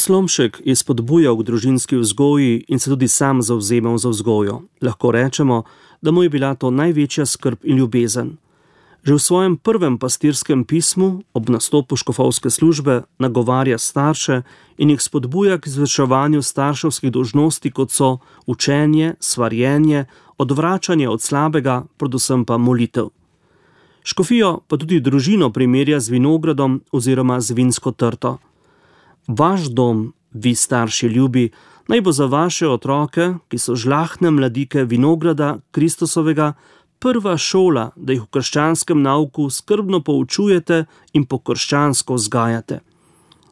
Slomšek je spodbujal k družinski vzgoji in se tudi sam zavzemal za vzgojo. Lahko rečemo, da mu je bila to največja skrb in ljubezen. Že v svojem prvem pastirskem pismu ob nastopu škofovske službe nagovarja starše in jih spodbuja k izvrševanju starševskih dolžnosti, kot so učenje, svarjenje, odvračanje od slabega, predvsem pa molitev. Škofijo pa tudi družino primerja z vinogradom oziroma z vinsko trto. Vaš dom, vi starši ljubi, naj bo za vaše otroke, ki so žlahtne mladike vinograda Kristusovega, prva šola, da jih v krščanskem nauku skrbno poučujete in po krščansko vzgajate.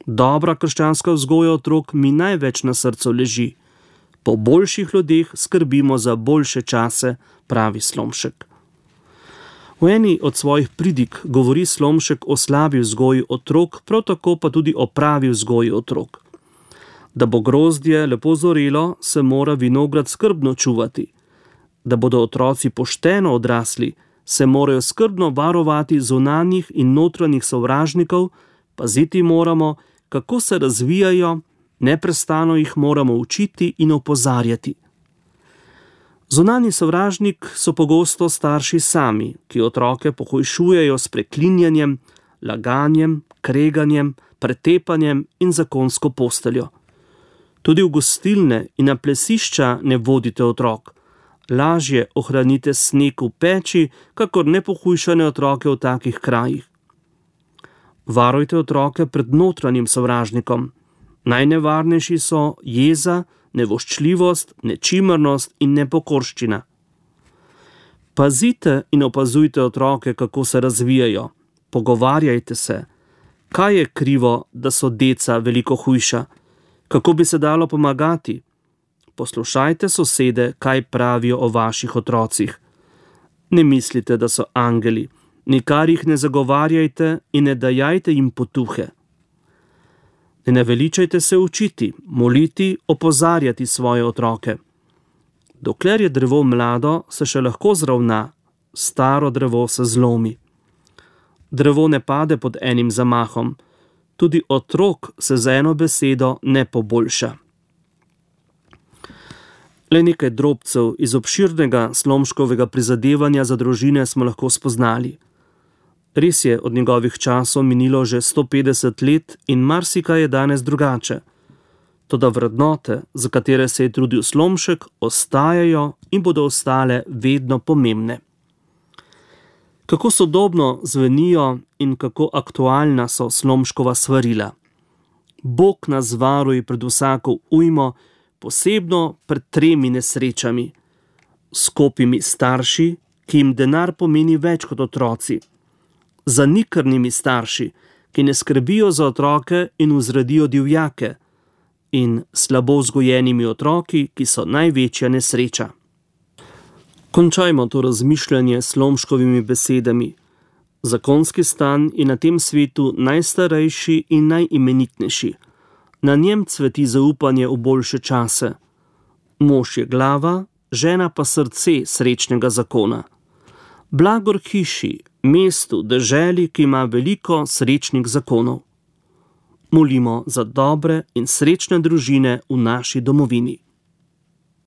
Dobra krščanska vzgoja otrok mi največ na srcu leži. Po boljših ljudeh skrbimo za boljše čase, pravi Slomšek. V eni od svojih pridig govori Slomšek o slabi vzgoji otrok, prav tako pa tudi o pravi vzgoji otrok. Da bo grozdje lepo zorelo, se mora vinograd skrbno čuvati. Da bodo otroci pošteno odrasli, se morajo skrbno varovati zunanjih in notranjih sovražnikov, paziti moramo, kako se razvijajo, neprestano jih moramo učiti in opozarjati. Zunanji sovražnik so pogosto starši sami, ki otroke pohujšujejo s preklinjanjem, laganjem, kreganjem, pretepanjem in zakonsko posteljo. Tudi v gostilne in na plesišča ne vodite otrok. Lažje ohranite sneg v peči, kakor nepohujšane otroke v takih krajih. Varujte otroke pred notranjim sovražnikom. Najnevarnejši so jeza, nevoščljivost, nečimrnost in nepokorščina. Pazite in opazujte otroke, kako se razvijajo. Pogovarjajte se. Kaj je krivo, da so deca veliko hujša? Kako bi se dalo pomagati? Poslušajte sosede, kaj pravijo o vaših otrocih. Ne mislite, da so angeli. Nikar jih ne zagovarjajte in ne dajajte jim potuhe. Ne naveličajte se učiti, moliti, opozarjati svoje otroke. Dokler je drevo mlado, se še lahko zravna, staro drevo se zlomi. Drevo ne pade pod enim zamahom, tudi otrok se z eno besedo ne poboljša. Le nekaj drobcev iz obširnega Slomškovega prizadevanja za družine smo lahko spoznali. Res je, od njegovih časov minilo že 150 let in marsikaj je danes drugače. Toda vrednote, za katere se je trudil Slomšek, ostajajo in bodo ostale vedno pomembne. Kako sodobno zvenijo in kako aktualna so Slomškova svarila. Bog nas varuj pred vsako ujmo, posebno pred 3 nesrečami. Skopimi starši, ki jim denar pomeni več kot otroci. Zanikrnimi starši, ki ne skrbijo za otroke in vzredijo divjake, in slabo vzgojenimi otroki, ki so največja nesreča. Končajmo to razmišljanje s Slomškovimi besedami. Zakonski stan je na tem svetu najstarejši in najimenitnejši. Na njem cveti zaupanje v boljše čase. Mož je glava, žena pa srce srečnega zakona. Blagor hiši, mestu, deželi, ki ima veliko srečnih zakonov. Molimo za dobre in srečne družine v naši domovini.